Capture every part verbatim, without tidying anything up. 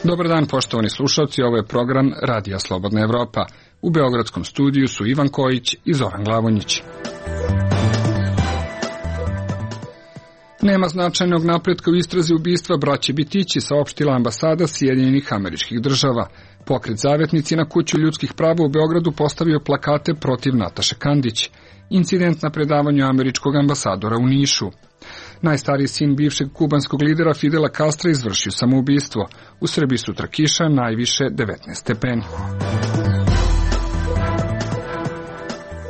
Dobar dan, poštovani slušalci, ovo je program Radija Slobodna Evropa. U beogradskom studiju su Ivan Kojić i Zoran Glavonjić. Nema značajnog napretka u istrazi ubistva braće Bitići, saopštila ambasada Sjedinjenih Američkih Država. Pokret Zavetnici na kuću ljudskih prava u Beogradu postavio plakate protiv Nataše Kandić. Incident na predavanju američkog ambasadora u Nišu. Najstariji sin bivšeg kubanskog lidera Fidela Castra izvršio samoubistvo. U Srbiji sutra kiša, najviše devetnaest stepeni.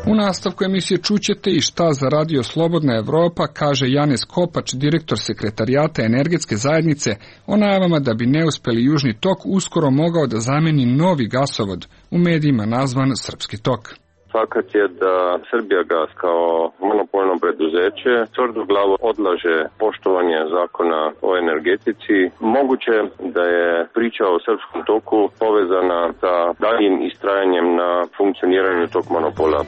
U nastavku emisije čućete i šta za Radio Slobodna Evropa kaže Janez Kopač, direktor sekretarijata energetske zajednice, o najavama da bi neuspeli Južni tok uskoro mogao da zameni novi gasovod, u medijima nazvan Srpski tok. Fakat je da Srbijagas kao monopolno preduzeće tvrdoglavo odlaže poštovanje zakona o energetici. Moguće da je priča o Srpskom toku povezana sa daljim istrajanjem na funkcioniranju tog monopola.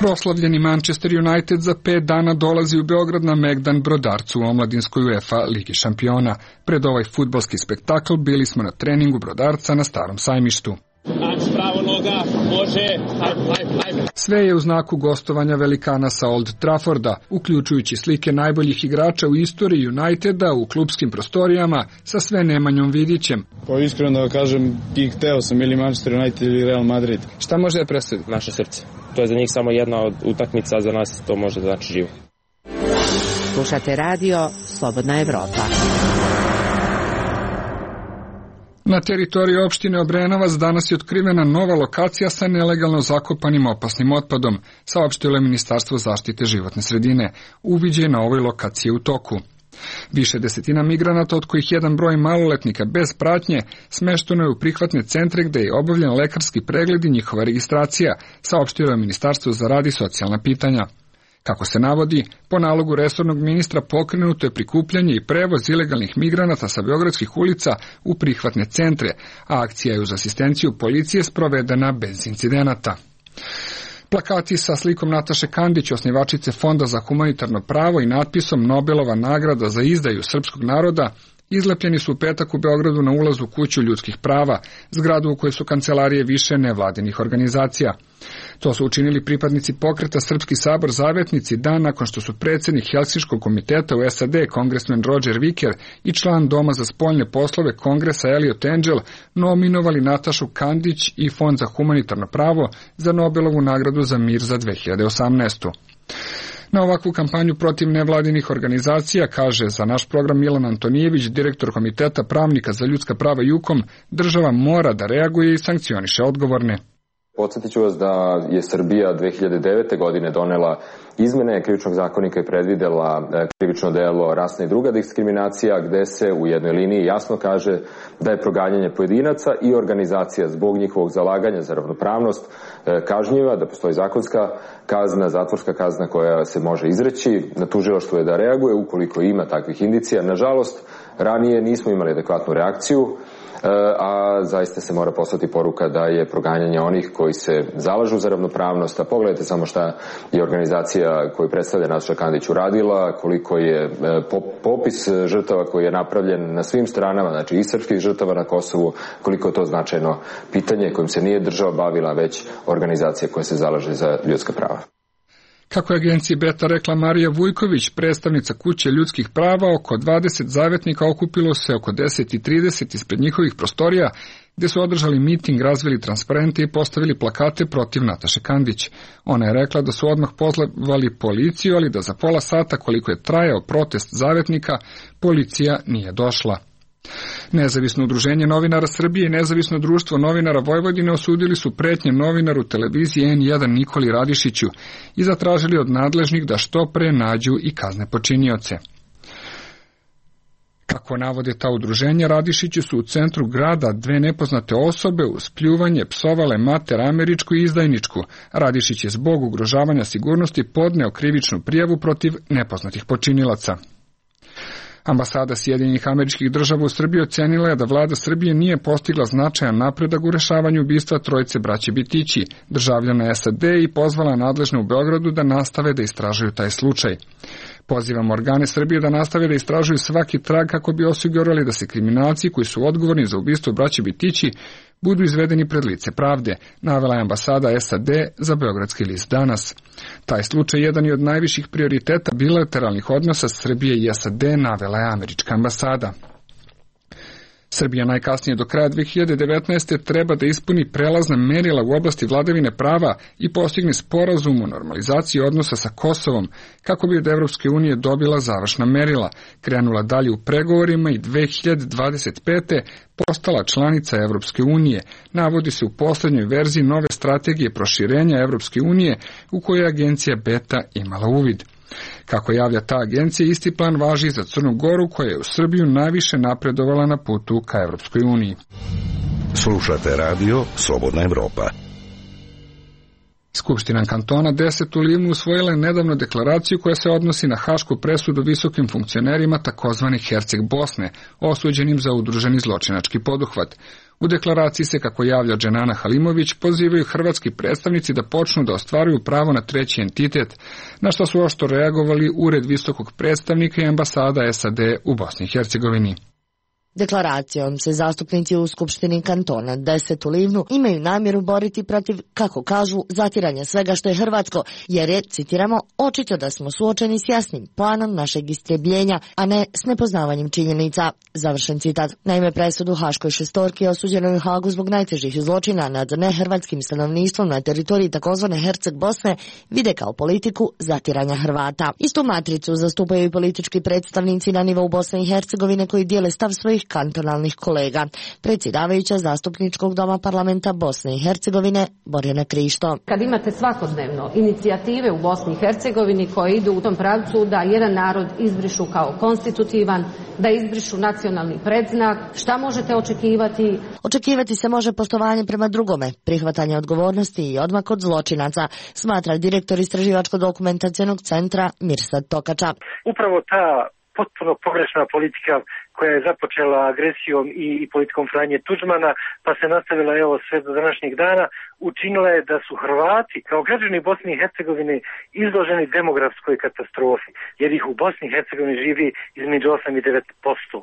Proslavljeni Manchester United za pet dana dolazi u Beograd na Megdan Brodarcu u omladinskoj UEFA Ligi šampiona. Pred ovaj fudbalski spektakl bili smo na treningu Brodarca na Starom sajmištu. Pravo noga, može, ajde, ajde, ajde. Sve je u znaku gostovanja velikana sa Old Trafforda, uključujući slike najboljih igrača u istoriji Uniteda u klubskim prostorijama sa sve Nemanjom Vidićem. Pa iskreno da kažem, i hteo sam ili Manchester United ili Real Madrid. Šta može da presudi? Naše srce. To je za njih samo jedna od utakmica, a za nas to može da znači živo. Slušate radio Slobodna Evropa. Na teritoriji opštine Obrenovac danas je otkrivena nova lokacija sa nelegalno zakopanim opasnim otpadom, saopštilo je Ministarstvo zaštite životne sredine. Uviđaj na ovoj lokaciji u toku. Više desetina migranata, od kojih jedan broj maloletnika bez pratnje, smešteno je u prihvatne centre gde je obavljen lekarski pregled i njihova registracija, saopštilo je Ministarstvo za rad i socijalna pitanja. Kako se navodi, po nalogu resornog ministra pokrenuto je prikupljanje i prevoz ilegalnih migranata sa beogradskih ulica u prihvatne centre, a akcija je uz asistenciju policije sprovedena bez incidenata. Plakati sa slikom Nataše Kandić, osnivačice Fonda za humanitarno pravo i natpisom Nobelova nagrada za izdaju srpskog naroda, izlepljeni su u petak u Beogradu na ulazu u kuću ljudskih prava, zgradu u kojoj su kancelarije više nevladinih organizacija. To su učinili pripadnici pokreta Srpski sabor Zavetnici dan nakon što su predsjednik Helsinškog komiteta u S A D kongresmen Roger Wicker i član Doma za spoljne poslove Kongresa Elliot Engel nominovali Natašu Kandić i Fond za humanitarno pravo za Nobelovu nagradu za mir za dve hiljade osamnaestu. Na ovakvu kampanju protiv nevladinih organizacija, kaže za naš program Milan Antonijević, direktor Komiteta pravnika za ljudska prava JUKOM, država mora da reaguje i sankcioniše odgovorne. Podsjetit ću vas da je Srbija dve hiljade devete. godine donela izmene krivičnog zakonika i predvidela krivično delo rasna i druga diskriminacija, gde se u jednoj liniji jasno kaže da je proganjanje pojedinaca i organizacija zbog njihovog zalaganja za ravnopravnost kažnjiva, da postoji zakonska kazna, zatvorska kazna koja se može izreći. Na tužilaštvu je da reaguje ukoliko ima takvih indicija. Nažalost, ranije nismo imali adekvatnu reakciju, a zaista se mora poslati poruka da je proganjanje onih koji se zalažu za ravnopravnost. A pogledajte samo šta je organizacija koju predstavlja Nataša Kandić uradila, koliko je popis žrtava koji je napravljen na svim stranama, znači i srpskih žrtava na Kosovu, koliko je to značajno pitanje kojim se nije država bavila, već organizacija koja se zalaže za ljudska prava. Kako je agenciji Beta rekla Marija Vujković, predstavnica kuće ljudskih prava, oko dvadeset zavetnika okupilo se oko deset i trideset ispred njihovih prostorija, gde su održali miting, razvili transparente i postavili plakate protiv Nataše Kandić. Ona je rekla da su odmah pozvali policiju, ali da za pola sata koliko je trajao protest zavetnika, policija nije došla. Nezavisno udruženje novinara Srbije i Nezavisno društvo novinara Vojvodine osudili su pretnje novinaru televizije en jedan Nikoli Radišiću i zatražili od nadležnih da što pre nađu i kazne počinioce. Kako navode ta udruženja, Radišiću su u centru grada dve nepoznate osobe uz pljuvanje psovale mater američku i izdajničku. Radišić je zbog ugrožavanja sigurnosti podneo krivičnu prijavu protiv nepoznatih počinilaca. Ambasada Sjedinjenih Američkih Država u Srbiji ocenila je da vlada Srbije nije postigla značajan napredak u rešavanju ubistva trojice braće Bitići, državljana es a de, i pozvala nadležne u Beogradu da nastave da istražuju taj slučaj. Pozivamo organe Srbije da nastave da istražuju svaki trag kako bi osigurali da se kriminalci koji su odgovorni za ubistvo braće Bitići budu izvedeni pred lice pravde, navela je ambasada es a de za beogradski list Danas. Taj slučaj jedan je od najviših prioriteta bilateralnih odnosa Srbije i es a de, navela je američka ambasada. Srbija najkasnije do kraja dve hiljade devetnaeste. treba da ispuni prelazna merila u oblasti vladavine prava i postigne sporazum o normalizaciji odnosa sa Kosovom, kako bi od Evropske unije dobila završna merila, krenula dalje u pregovorima i dve hiljade dvadeset pete. postala članica Evropske unije, navodi se u poslednjoj verziji nove strategije proširenja Evropske unije u kojoj je agencija Beta imala uvid. Kako javlja ta agencija, isti plan važi za Crnu Goru, koja je u Srbiju najviše napredovala na putu ka Evropskoj uniji. Slušate radio Slobodna Evropa. Skupština kantona deset u Livnu usvojila je nedavno deklaraciju koja se odnosi na hašku presudu visokim funkcionerima takozvani Herceg Bosne, osuđenim za udruženi zločinački poduhvat. U deklaraciji se, kako javlja Dženana Halimović, pozivaju hrvatski predstavnici da počnu da ostvaruju pravo na treći entitet, na što su oštro reagovali Ured visokog predstavnika i ambasada es a de u Bosni i Hercegovini. Deklaracijom se zastupnici u Skupštini kantona deset u Livnu imaju namjeru boriti protiv, kako kažu, zatiranja svega što je hrvatsko, jer je, citiramo, očito da smo suočeni s jasnim planom našeg istrebljenja, a ne s nepoznavanjem činjenica. Završen citat. Naime, presudu haškoj šestorki osuđenoj u Hagu zbog najtežih zločina nad nehrvatskim stanovništvom na teritoriji takozvane Herceg Bosne vide kao politiku zatiranja Hrvata. Istu matricu zastupaju i politički predstavnici na nivou Bosne i Hercegovine koji dijele stav svojih kantonalnih kolega. Predsjedavajuća Zastupničkog doma parlamenta Bosne i Hercegovine Borjana Krišto. Kad imate svakodnevno inicijative u Bosni i Hercegovini koje idu u tom pravcu da jedan narod izbrišu kao konstitutivan, da izbrišu nacionalni predznak, šta možete očekivati? Očekivati se može poštovanje prema drugome, prihvatanje odgovornosti i odmak od zločinaca, smatra direktor Istraživačko-dokumentacionog centra Mirsad Tokača. Upravo ta potpuno pogrešna politika koja je započela agresijom i, i politikom Franje Tuđmana, pa se nastavila evo sve do današnjeg dana, učinila je da su Hrvati kao građani Bosne i Hercegovine izloženi demografskoj katastrofi, jer ih u Bosni i Hercegovini živi između osam i devet posto.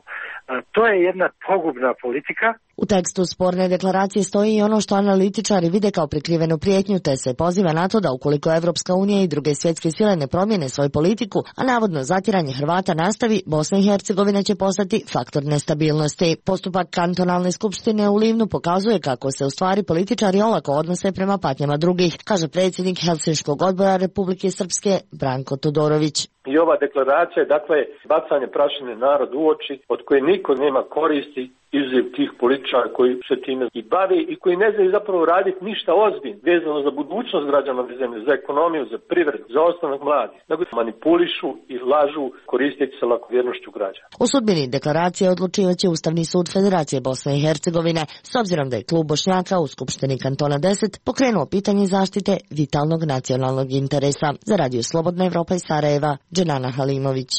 To je jedna pogubna politika. U tekstu sporne deklaracije stoji i ono što analitičari vide kao prikrivenu prijetnju, te se poziva na to da ukoliko Evropska unija i druge svjetske sile ne promijene svoju politiku, a navodno zatiranje Hrvata nastavi, Bosna i Hercegovina će postati faktor nestabilnosti. Postupak kantonalne skupštine u Livnu pokazuje kako se u stvari političari olako odnose prema patnjama drugih, kaže predsjednik Helsinškog odbora Republike Srpske Branko Todorović. I ova deklaracija je dakle bacanje prašine narodu u oči od koje niko nema koristi, izuzev tih političara koji se time i bave i koji ne znaju zapravo raditi ništa ozbiljno vezano za budućnost građana ove zemlje, za ekonomiju, za privredu, za ostanak mladih, nego manipulišu i lažu koristeći se lakovjernošću građana. U sudbini deklaracije odlučivaće Ustavni sud Federacije Bosne i Hercegovine, s obzirom da je klub Bošnjaka u Skupštini kantona deset pokrenuo pitanje zaštite vitalnog nacionalnog interesa. Za Radio Slobodna Evropa iz Sarajeva, Dženana Halimović.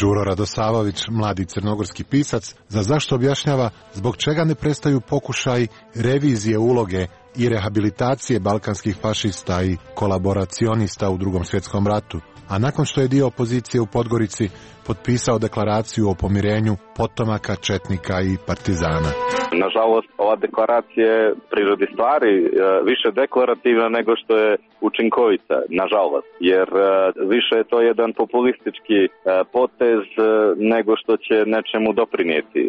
Đuro Radosavović, mladi crnogorski pisac, za zašto objašnjava zbog čega ne prestaju pokušaj revizije uloge i rehabilitacije balkanskih fašista i kolaboracionista u Drugom svjetskom ratu, a nakon što je dio opozicije u Podgorici potpisao deklaraciju o pomirenju potomaka, četnika i partizana. Nažalost, ova deklaracija je prirodi stvari više deklarativna nego što je učinkovita, nažalost, jer više je to jedan populistički potez nego što će nečemu doprinijeti.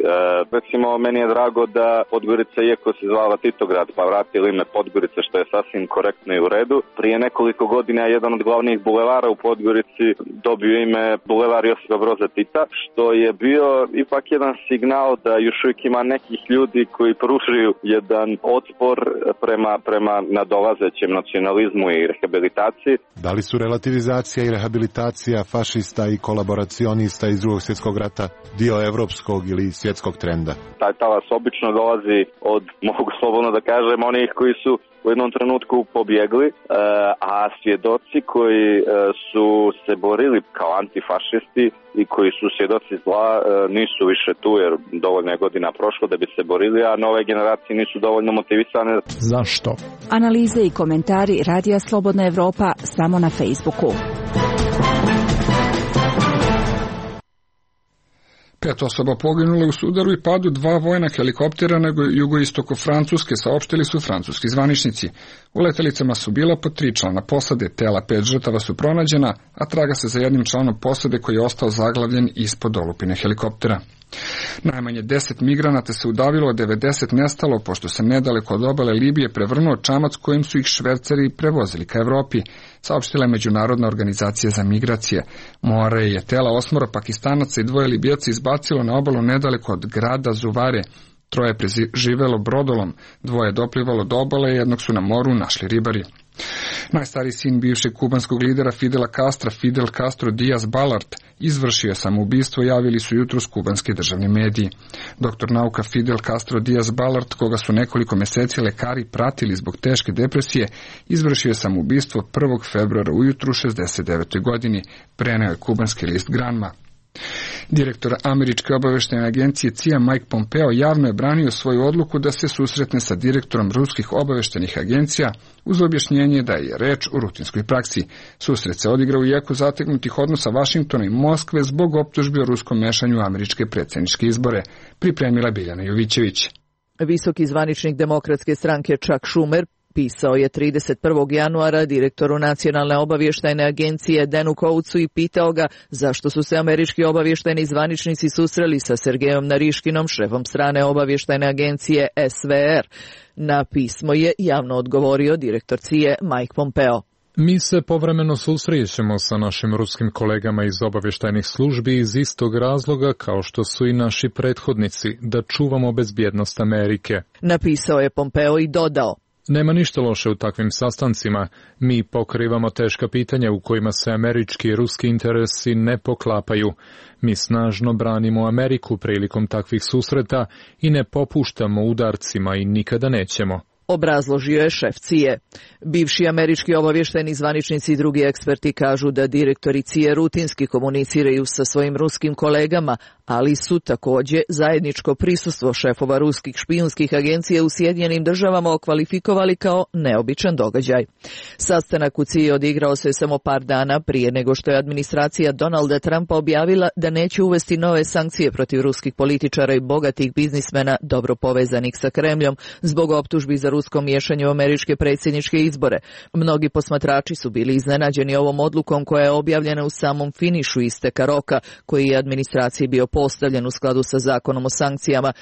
Recimo, meni je drago da Podgorica, iako se zvala Titograd, pa vratili ime Podgorica, što je sasvim korektno i u redu. Prije nekoliko godina je jedan od glavnih bulevara u Podgorici dobio ime Bulevar Josipa Broza Tita, što je bio ipak jedan signal da još uvijek ima nekih ljudi koji pružuju jedan otpor prema, prema nadolazećem nacionalizmu i rehabilitaciji. Da li su relativizacija i rehabilitacija fašista i kolaboracionista iz drugog svjetskog rata dio evropskog ili svjetskog trenda? Taj talas obično dolazi od, mogu slobodno da kažem, onih koji su u jednom trenutku pobjegli, a svjedoci koji su se borili kao antifašisti i koji su svjedoci zla nisu više tu, jer dovoljno je godina prošlo da bi se borili, a nove generacije nisu dovoljno motivisane. Zašto? Analize i komentari Radija Slobodna Evropa samo na Facebooku. Pet osoba poginulo u sudaru i padu dva vojna helikoptera na jugoistoku Francuske, saopštili su francuski zvaničnici. U letelicama su bila po tri člana posade, tela pet žrtava su pronađena, a traga se za jednim članom posade koji je ostao zaglavljen ispod olupine helikoptera. Najmanje deset migranata se udavilo, a devedeset nestalo, pošto se nedaleko od obale Libije prevrnuo čamac kojim su ih šverceri prevozili ka Evropi, saopštila je Međunarodna organizacija za migracije. More je tela osmora Pakistanaca i dvoje Libijaca izbacilo na obalu nedaleko od grada Zuvare. Troje je preživelo brodolom, dvoje je doplivalo do obale i jednog su na moru našli ribari. Najstariji sin bivšeg kubanskog lidera Fidela Castra, Fidel Castro Diaz Balart, izvršio je samoubistvo, javili su jutros kubanski državni mediji. Doktor nauka Fidel Castro Diaz Balart, koga su nekoliko mjeseci lekari pratili zbog teške depresije, izvršio je samoubistvo prvog februara ujutru u šezdeset devetoj godini, preneo je kubanski list Granma. Direktor američke obavještajne agencije C I A Mike Pompeo javno je branio svoju odluku da se susretne sa direktorom ruskih obavještajnih agencija uz objašnjenje da je reč o rutinskoj praksi. Susret se odigrao u jeku zategnutih odnosa Vašingtona i Moskve zbog optužbi o ruskom mešanju u američke predsjedničke izbore, pripremila Biljana Jovićević. Visoki zvaničnik demokratske stranke Chuck Schumer pisao je trideset prvog januara direktoru Nacionalne obavještajne agencije Danu Coatsu i pitao ga zašto su se američki obavještajni zvaničnici susreli sa Sergejom Nariškinom, šefom strane obavještajne agencije S V R. Na pismo je javno odgovorio direktor C I A Mike Pompeo. Mi se povremeno susrećemo sa našim ruskim kolegama iz obavještajnih službi iz istog razloga kao što su i naši prethodnici, da čuvamo bezbjednost Amerike. Napisao je Pompeo i dodao: Nema ništa loše u takvim sastancima. Mi pokrivamo teška pitanja u kojima se američki i ruski interesi ne poklapaju. Mi snažno branimo Ameriku prilikom takvih susreta i ne popuštamo udarcima i nikada nećemo. Obrazložio je šef C I A. Bivši američki obavještajni zvaničnici i drugi eksperti kažu da direktori C I A rutinski komuniciraju sa svojim ruskim kolegama, ali su također zajedničko prisustvo šefova ruskih špijunskih agencija u Sjedinjenim državama okvalifikovali kao neobičan događaj. Sastanak u C I A odigrao se samo par dana prije nego što je administracija Donalda Trumpa objavila da neće uvesti nove sankcije protiv ruskih političara i bogatih biznismena dobro povezanih sa Kremljom zbog optužbi za rusko miješanje u američke predsjedničke izbore. Mnogi posmatrači su bili iznenađeni ovom odlukom koja je objavljena u samom finišu isteka roka koji je administraciji bio postavljen u skladu sa zakonom o sankcijama.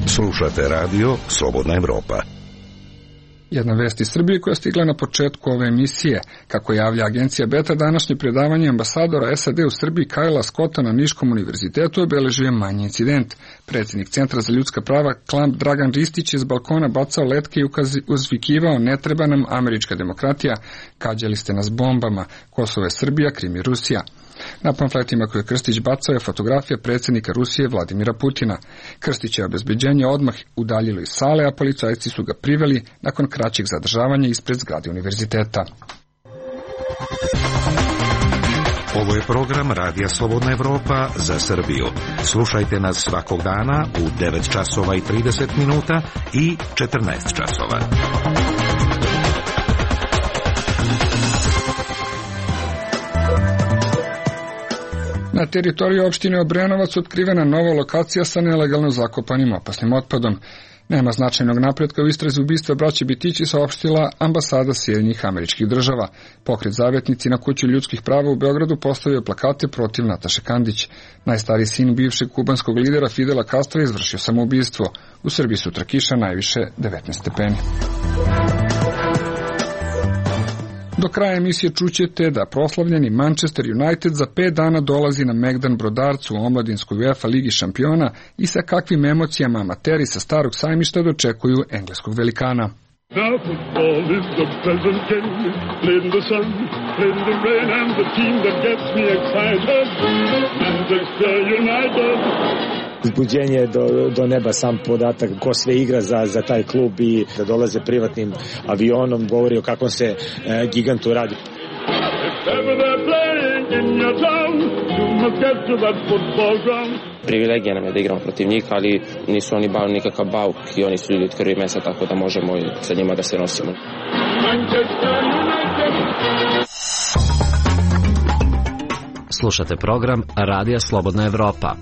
Slušate radio Slobodna Evropa. Jedna vest iz Srbije koja je stigla na početku ove emisije. Kako javlja agencija Beta, današnje predavanje ambasadora S A D u Srbiji Kajla Scotta na Niškom univerzitetu obeležio je manji incident. Predsjednik Centra za ljudska prava Klamp Dragan Ristić je s balkona bacao letke i uzvikivao: ne treba nam američka demokratija, kađali ste nas bombama, Kosovo je Srbija, Krim je Rusija. Na pamfletima koje Krstić bacao je fotografija predsjednika Rusije Vladimira Putina. Krstić je obezbeđenje odmah udaljilo iz sale, a policajci su ga priveli nakon kraćeg zadržavanja ispred zgrade univerziteta. Ovo je program Radija Slobodna Evropa za Srbiju. Slušajte nas svakog dana u devet časova i trideset minuta i četrnaest časova. Na teritoriji opštine Obrenovac otkrivena nova lokacija sa nelegalno zakopanim opasnim otpadom. Nema značajnog napretka u istrazi ubistva braće Bitići, saopštila ambasada Sjedinjenih Američkih Država. Pokret Zavetnici na kuću ljudskih prava u Beogradu postavio plakate protiv Nataše Kandić. Najstariji sin bivšeg kubanskog lidera Fidela Castra izvršio samoubistvo. U Srbiji sutra kiša, najviše devetnaest stepeni. Do kraja emisije čućete da proslavljeni Manchester United za pet dana dolazi na Megdan Brodarcu u omladinskoj UEFA Ligi šampiona i sa kakvim emocijama amateri sa Starog sajmišta dočekuju engleskog velikana. Now football is the pleasant game, played in the sun, played in the rain, and the team that gets me excited, Manchester United. Uzbuđenje do, do neba, sam podatak ko sve igra za, za taj klub i da dolaze privatnim avionom govori o kakvom se e, gigantu radi. Privilegija nam je da igramo protiv njih, ali nisu oni bao nikakav bauk i oni su ljudi od krvi i mesa, tako da možemo sa njima da se nosimo. Slušate program Radija Slobodna Evropa.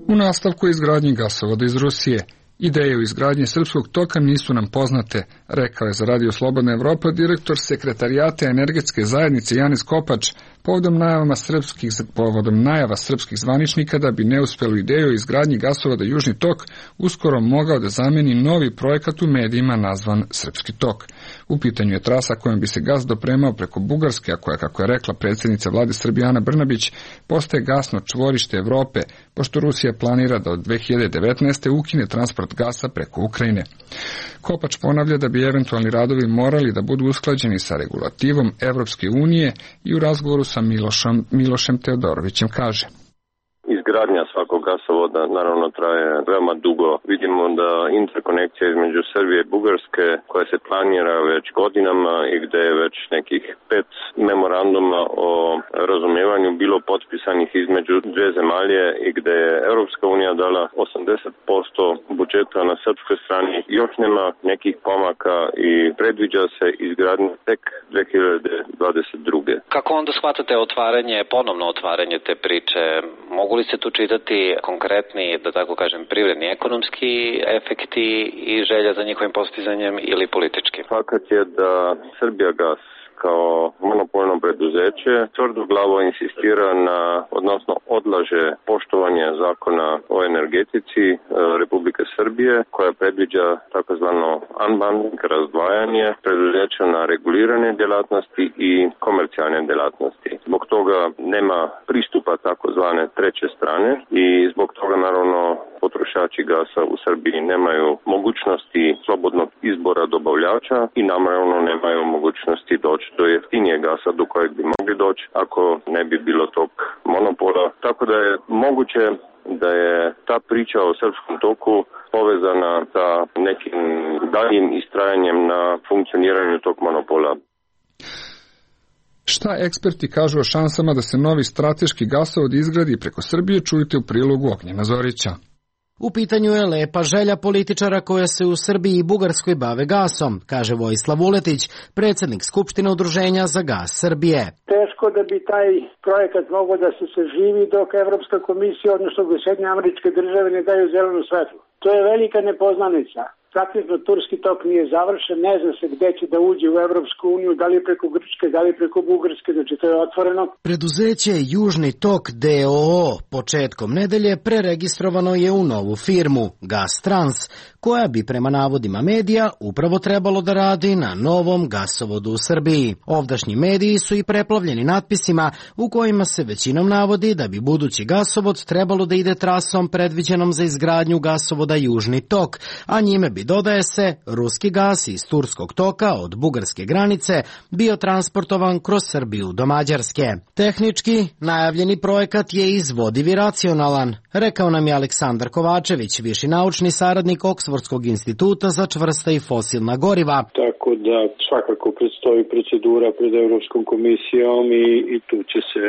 U nastavku izgradnji gasovoda iz Rusije. Ideje o izgradnji srpskog toka nisu nam poznate, rekao je za Radio Slobodna Evropa direktor sekretarijata energetske zajednice Janis Kopač, povodom najava srpskih, povodom najava srpskih zvaničnika da bi neuspelu ideju o izgradnji gasovoda Južni tok uskoro mogao da zameni novi projekat u medijima nazvan Srpski tok. U pitanju je trasa kojom bi se gas dopremao preko Bugarske, a koja, kako je rekla predsjednica vlade Srbije Ana Brnabić, postaje gasno čvorište Evrope, pošto Rusija planira da od dve hiljade devetnaeste. ukine transport gasa preko Ukrajine. Kopač ponavlja da bi eventualni radovi morali da budu usklađeni sa regulativom Evropske unije i u razgovoru sa Milošom, Milošem Teodorovićem kaže: Izgradnja svakog gasovoda naravno traje veoma dugo. Vidimo da interkonekcija između Srbije i Bugarske, koja se planira već godinama i gde je već nekih pet memoranduma o razumevanju bilo potpisanih između dve zemalje i gde je Europska unija dala osamdeset posto budžeta na srpskoj strani, još nema nekih pomaka i predviđa se izgradnja tek dve hiljade dvadeset druge. Kako onda shvatate otvaranje, ponovno otvaranje te priče? Mogu li se tu čitati konkretni, da tako kažem, privredni, ekonomski efekti i želja za njihovim postizanjem ili politički? Fakat je da Srbijagas kao monopolno preduzeće tvrdoglavo insistira na, odnosno odlaže poštovanje zakona o energetici Republike Srbije, koja predviđa takozvano unbundling, razdvajanje preduzeća na regulirane djelatnosti i komercijalne djelatnosti. Zbog toga nema pristupa takozvane treće strane i zbog toga naravno potrošači gasa u Srbiji nemaju mogućnosti slobodnog izbora dobavljača i naravno nemaju mogućnosti doći do jeftinijeg gasa do kojeg bi mogli doći ako ne bi bilo tog monopola. Tako da je moguće da je ta priča o srpskom toku povezana sa nekim daljim istrajanjem na funkcioniranju tog monopola. Šta eksperti kažu o šansama da se novi strateški gasovod izgradi preko Srbije, čujte u prilogu Ognjena Zorića. U pitanju je lepa želja političara koja se u Srbiji i Bugarskoj bave gasom, kaže Vojislav Vuletić, predsjednik Skupštine Udruženja za gas Srbije. Teško da bi taj projekat mogao da se saživi dok Evropska komisija, odnosno Sjedinjene Američke Države, ne daju zelenu svetlu. To je velika nepoznanica. Praktično turski tok nije završen, ne zna se gde će da uđe u Evropsku uniju, da li preko Grčke, da li preko Bugarske, znači to je otvoreno. Preduzeće Južni tok D O O početkom nedelje preregistrovano je u novu firmu Gas Trans, koja bi prema navodima medija upravo trebalo da radi na novom gasovodu u Srbiji. Ovdašnji mediji su i preplavljeni natpisima u kojima se većinom navodi da bi budući gasovod trebalo da ide trasom predviđenom za izgradnju gasovoda Južni tok, a njime bi, dodaje se, ruski gas iz turskog toka od bugarske granice bio transportovan kroz Srbiju do Mađarske. Tehnički, najavljeni projekat je izvodiv i racionalan, rekao nam je Aleksandar Kovačević, viši naučni saradnik Oksfordskog instituta za čvrsta i fosilna goriva. Tako da svakako predstoji procedura pred Evropskom komisijom i, i tu će se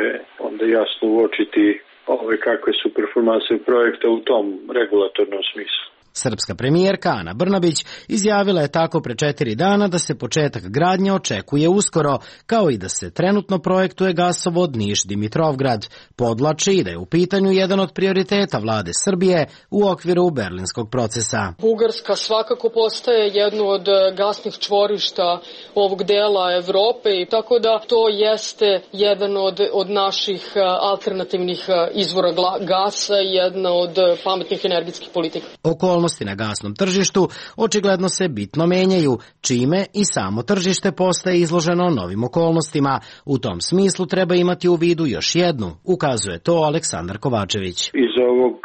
onda jasno uočiti ove kakve su performanse projekta u tom regulatornom smislu. Srpska premijerka Ana Brnabić izjavila je tako pre četiri dana da se početak gradnje očekuje uskoro, kao i da se trenutno projektuje gasovod Niš-Dimitrovgrad. Podlači i da je u pitanju jedan od prioriteta vlade Srbije u okviru berlinskog procesa. Bugarska svakako postaje jedno od gasnih čvorišta ovog dela Evrope i tako da to jeste jedan od, od naših alternativnih izvora gasa i jedna od pametnih energetskih politika. Okolnosti na gasnom tržištu očigledno se bitno menjaju, čime i samo tržište postaje izloženo novim okolnostima. U tom smislu treba imati u vidu još jednu, ukazuje to Aleksandar Kovačević. Iz ovog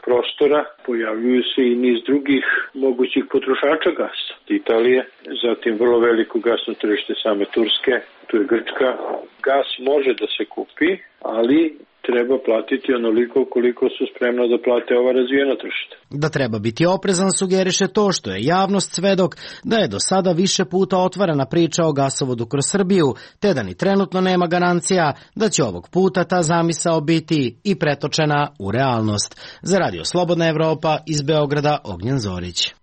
prostora pojavljuju se i niz drugih mogućih potrošača gasa. Italije, zatim vrlo veliko gasno tržište same Turske, tu je Grčka. Gas može da se kupi, ali treba platiti onoliko koliko su spremno da plate ova razvijena tržišta. Da treba biti oprezan sugeriše to što je javnost svedok da je do sada više puta otvarana priča o gasovodu kroz Srbiju, te da ni trenutno nema garancija da će ovog puta ta zamisao biti i pretočena u realnost. Za Radio Slobodna Evropa iz Beograda, Ognjen Zorić.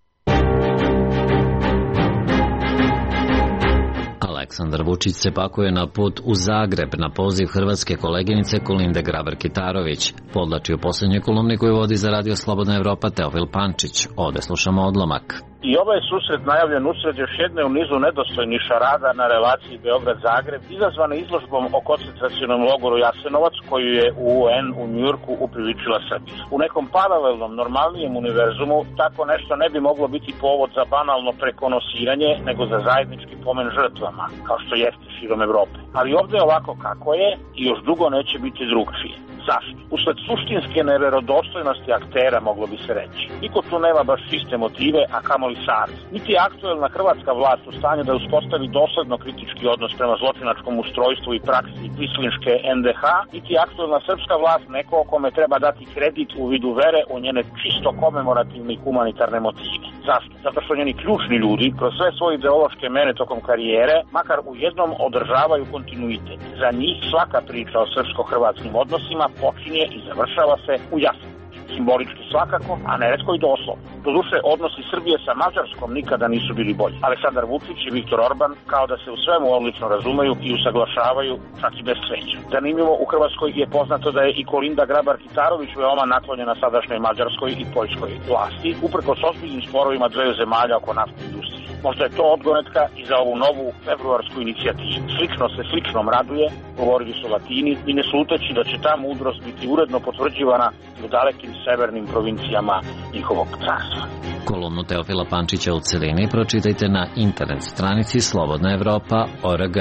Aleksandar Vučić se pakuje na put u Zagreb na poziv hrvatske koleginice Kolinde Grabar-Kitarović, podlači u posljednjoj kolumni koju vodi za Radio Slobodna Evropa Teofil Pančić. Ovde slušamo odlomak. I ovaj susret najavljen usred još jedne u nizu nedostojnih šarada na relaciji Beograd-Zagreb, izazvane izložbom o koncentracionom logoru Jasenovac koju je U N u Njujorku upriličila Srbiji. U nekom paralelnom, normalnijem univerzumu tako nešto ne bi moglo biti povod za banalno prekonosiranje, nego za zajednički pomen žrtvama, kao što jeste širom Evrope. Ali ovde je ovako kako je i još dugo neće biti drugčije. Zašto? Usled suštinske neverodostojnosti aktera, moglo bi se reći. Niko tu nema baš čiste motive, a kamoli savez. Niti je aktuelna hrvatska vlast u stanju da uspostavi dosledno kritički odnos prema zločinačkom ustrojstvu i praksi Kvislinške N D H, niti je aktuelna srpska vlast neko kome treba dati kredit u vidu vere u njene čisto komemorativne i humanitarne motive. Zašto? Zato što njeni ključni ljudi, kroz sve svoje ideološke mene tokom karijere, makar u jednom održavaju kontinuitet. Za njih svaka priča o srpsko-hrvatskim odnosima počinje i završava se u Jasenovcu. Simbolički svakako, a neretko i doslovno. Doduše, odnosi Srbije sa Mađarskom nikada nisu bili bolji. Aleksandar Vučić i Viktor Orban kao da se u svemu odlično razumeju i usaglašavaju, čak i bez cveća. Zanimljivo, u Hrvatskoj je poznato da je i Kolinda Grabar-Kitarović veoma naklonjena sadašnjoj mađarskoj i poljskoj vlasti, uprkos ozbiljnim sporovima dveju zemalja oko naftne industrije. Možda je to odgonetka i za ovu novu februarsku inicijativu. Slično se sličnom raduje, govorili su Latini, i ne sluteći da će ta mudrost biti uredno potvrđivana u dalekim severnim provincijama njihovog carstva. Kolumnu Teofila Pančića u celini pročitajte na internet stranici slobodna evropa tačka org.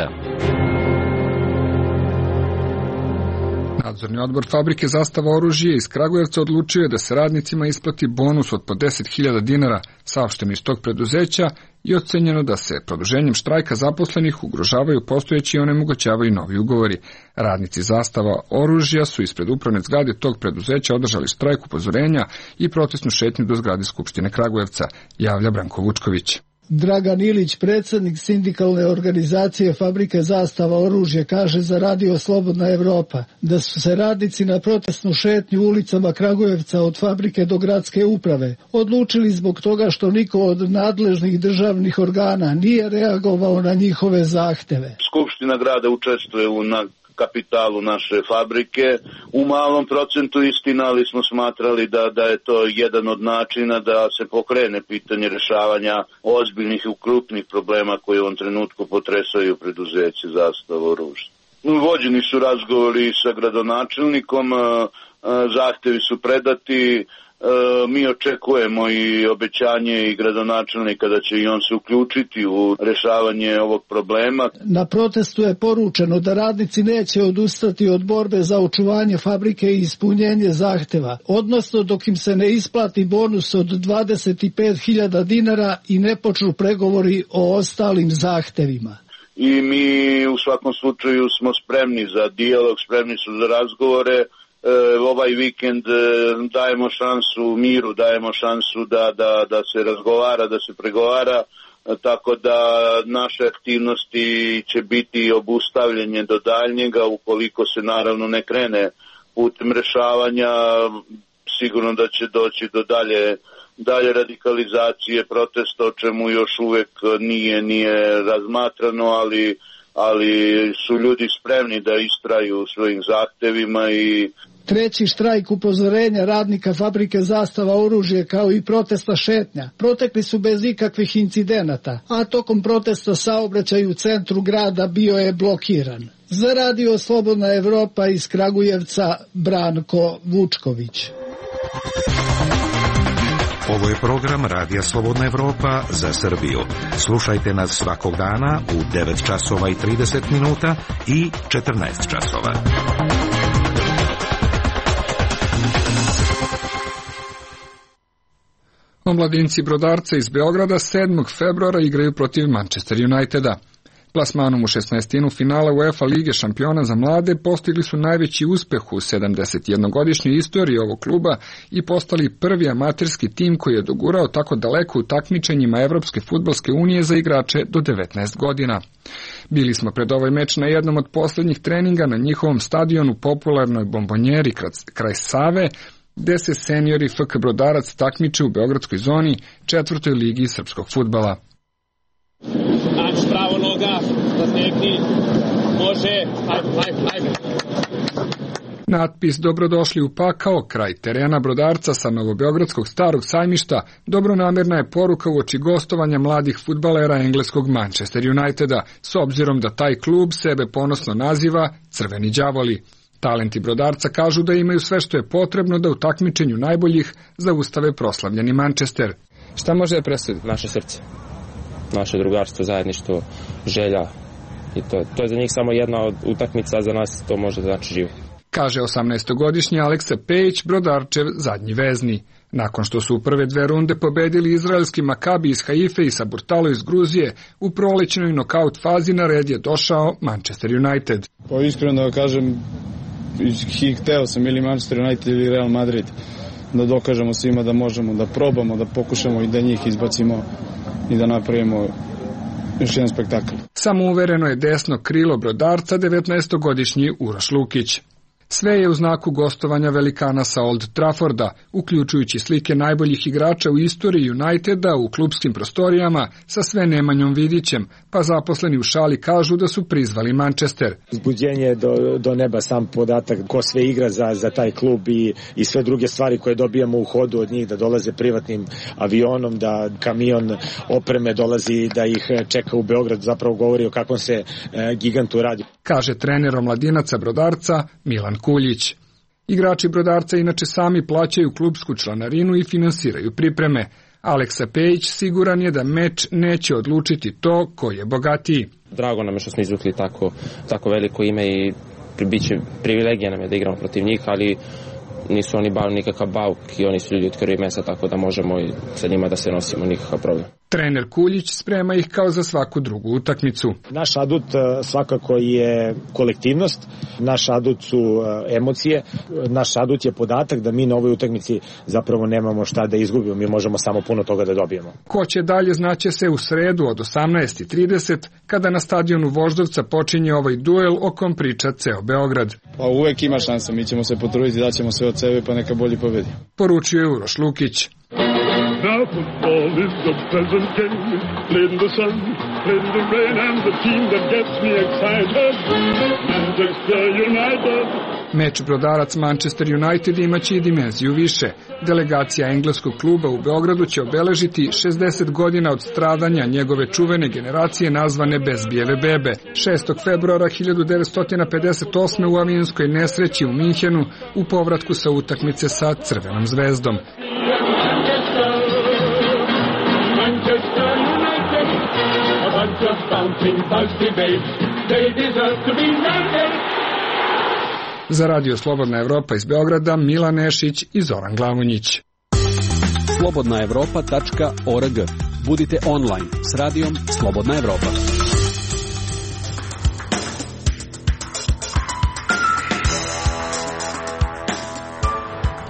Nadzorni odbor fabrike Zastava oružje iz Kragujevca odlučio je da se radnicima isplati bonus od po deset hiljada dinara, saopšteno iz tog preduzeća, i ocenjeno da se produženjem štrajka zaposlenih ugrožavaju postojeći i onemogućavaju novi ugovori. Radnici Zastava oružja su ispred upravne zgrade tog preduzeća održali štrajk upozorenja i protestnu šetnju do zgrade Skupštine Kragujevca, javlja Branko Vučković. Dragan Ilić, predsjednik sindikalne organizacije Fabrike Zastava oružje, kaže za Radio Slobodna Evropa da su se radnici na protestnu šetnju ulicama Kragujevca od fabrike do gradske uprave odlučili zbog toga što niko od nadležnih državnih organa nije reagovao na njihove zahteve. Skupština grada učestvuje u na kapitalu naše fabrike, u malom procentu istina, ali smo smatrali da, da je to jedan od načina da se pokrene pitanje rešavanja ozbiljnih i krupnih problema koje u ovom trenutku potresaju preduzeće Zastava oružja. Vođeni su razgovori sa gradonačelnikom, zahtevi su predati, mi očekujemo i obećanje i gradonačelnika da će i on se uključiti u rešavanje ovog problema. Na protestu je poručeno da radnici neće odustati od borbe za očuvanje fabrike i ispunjenje zahteva, odnosno dok im se ne isplati bonus od dvadeset pet hiljada dinara i ne počnu pregovori o ostalim zahtevima. I mi u svakom slučaju smo spremni za dijalog, spremni su za razgovore. Ovaj vikend dajemo šansu miru, dajemo šansu da, da, da se razgovara, da se pregovara, tako da naše aktivnosti će biti obustavljanje do daljnjega ukoliko se naravno ne krene putem rešavanja, sigurno da će doći do dalje dalje radikalizacije protesta, o čemu još uvek nije, nije razmatrano, ali, ali su ljudi spremni da istraju u svojim zahtevima i Treći štrajk upozorenja radnika fabrike Zastava oružje kao i protesta šetnja protekli su bez ikakvih incidenata, a tokom protesta saobraćaj u centru grada bio je blokiran. Za Radio Slobodna Evropa iz Kragujevca Branko Vučković. Ovo je program Radija Slobodna Evropa za Srbiju. Slušajte nas svakog dana u devet časova i trideset minuta i četrnaest časova. Omladinci Brodarca iz Beograda sedmog februara igraju protiv Manchester Uniteda. Plasmanom u šesnaestinu finala UEFA Lige šampiona za mlade postigli su najveći uspeh u sedamdesetjednogodišnjoj istoriji ovog kluba i postali prvi amaterski tim koji je dogurao tako daleko u takmičenjima Evropske fudbalske unije za igrače do devetnaest godina. Bili smo pred ovaj meč na jednom od poslednjih treninga na njihovom stadionu popularnoj Bombonjeri kraj Save, gde se seniori F K Brodarac takmiče u beogradskoj zoni četvrtoj ligi srpskog fudbala. Naći pravo noga, zastekni, može, hajde, hajde, hajde. Natpis Dobrodošli u pakao, kraj terena Brodarca sa novobeogradskog starog sajmišta, dobronamerna je poruka uoči gostovanja mladih fudbalera engleskog Manchester Uniteda, s obzirom da taj klub sebe ponosno naziva Crveni đavoli. Talenti Brodarca kažu da imaju sve što je potrebno da u takmičenju najboljih zaustave proslavljeni Manchester. Šta može da presudi? Naše srce, naše drugarstvo, zajedništvo, želja i to. To je za njih samo jedna od utakmica, a za nas to može da znači živo. Kaže osamnaestogodišnji Aleksa Pejić, Brodarčev zadnji vezni. Nakon što su u prve dve runde pobedili izraelski Makabi iz Haife i Saburtalo iz Gruzije, u prolećnoj nokaut fazi na red je došao Manchester United. Pa iskreno da kažem, hteo sam ili Manchester United ili Real Madrid, da dokažemo svima da možemo, da probamo, da pokušamo i da njih izbacimo i da napravimo još jedan spektakl. Samouvereno je desno krilo Brodarca devetnaestogodišnji Uroš Lukić. Sve je u znaku gostovanja velikana sa Old Trafforda, uključujući slike najboljih igrača u istoriji Uniteda u klubskim prostorijama sa sve Nemanjom Vidićem, pa zaposleni u šali kažu da su prizvali Manchester. Uzbuđenje do, do neba, sam podatak ko sve igra za, za taj klub i, i sve druge stvari koje dobijamo u hodu od njih, da dolaze privatnim avionom, da kamion opreme dolazi, da ih čeka u Beograd, zapravo govori o kakvom se e, gigantu radi. Kaže trener omladinaca Brodarca Milan Kuljić. Igrači Brodarca inače sami plaćaju klubsku članarinu i finansiraju pripreme. Aleksa Pejić siguran je da meč neće odlučiti to ko je bogatiji. Drago nam je što smo izvukli tako, tako veliko ime i biće privilegija nam je da igramo protiv njih, ali nisu oni bav nikakav bauk i oni su ljudi od krvi mesa, tako da možemo i sa njima da se nosimo, nikakav problem. Trener Kuljić sprema ih kao za svaku drugu utakmicu. Naš adut svakako je kolektivnost, naš adut su emocije, naš adut je podatak da mi na ovoj utakmici zapravo nemamo šta da izgubimo, mi možemo samo puno toga da dobijemo. Ko će dalje znaće se u sredu od osamnaest i trideset kada na stadionu Voždovca počinje ovaj duel o kom priča ceo Beograd. Pa uvek ima šansa, mi ćemo se potruditi, daćemo sve od sebe pa neka bolji pobedi. Poručuje Uroš Lukić. Now football is a pleasant game, played in the sun, played in the rain, and the team that gets me excited, Manchester United. Meč Brodarac Manchester United imaće i dimenziju više. Delegacija engleskog kluba u Beogradu će obeležiti šezdeset godina od stradanja njegove čuvene generacije nazvane Bezbijeve bebe. šestog februara hiljadu devetsto pedeset osme u avionskoj nesreći u Minhenu u povratku sa utakmice sa Crvenom zvezdom. Za Radio Slobodna Evropa iz Beograda Milan Nešić i Zoran Glavonjić. slobodna evropa tačka org. Budite online s radijom Slobodna Evropa.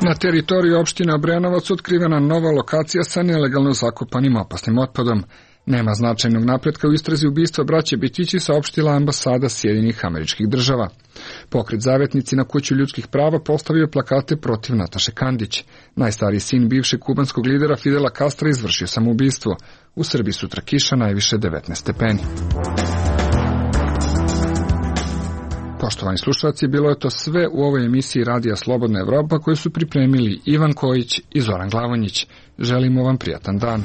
Na teritoriji opštine Obrenovac otkrivena nova lokacija sa nelegalno zakopanim opasnim otpadom. Nema značajnog napretka u istrazi ubistva braće Bitići, saopštila ambasada Sjedinjenih Američkih Država. Pokret Zavetnici na kuću ljudskih prava postavio plakate protiv Nataše Kandić. Najstariji sin bivšeg kubanskog lidera Fidela Castra izvršio samoubistvo. U Srbiji sutra kiša, najviše devetnaest stepeni. Poštovani slušalci, bilo je to sve u ovoj emisiji Radija Slobodna Evropa koju su pripremili Ivan Kojić i Zoran Glavonjić. Želimo vam prijatan dan.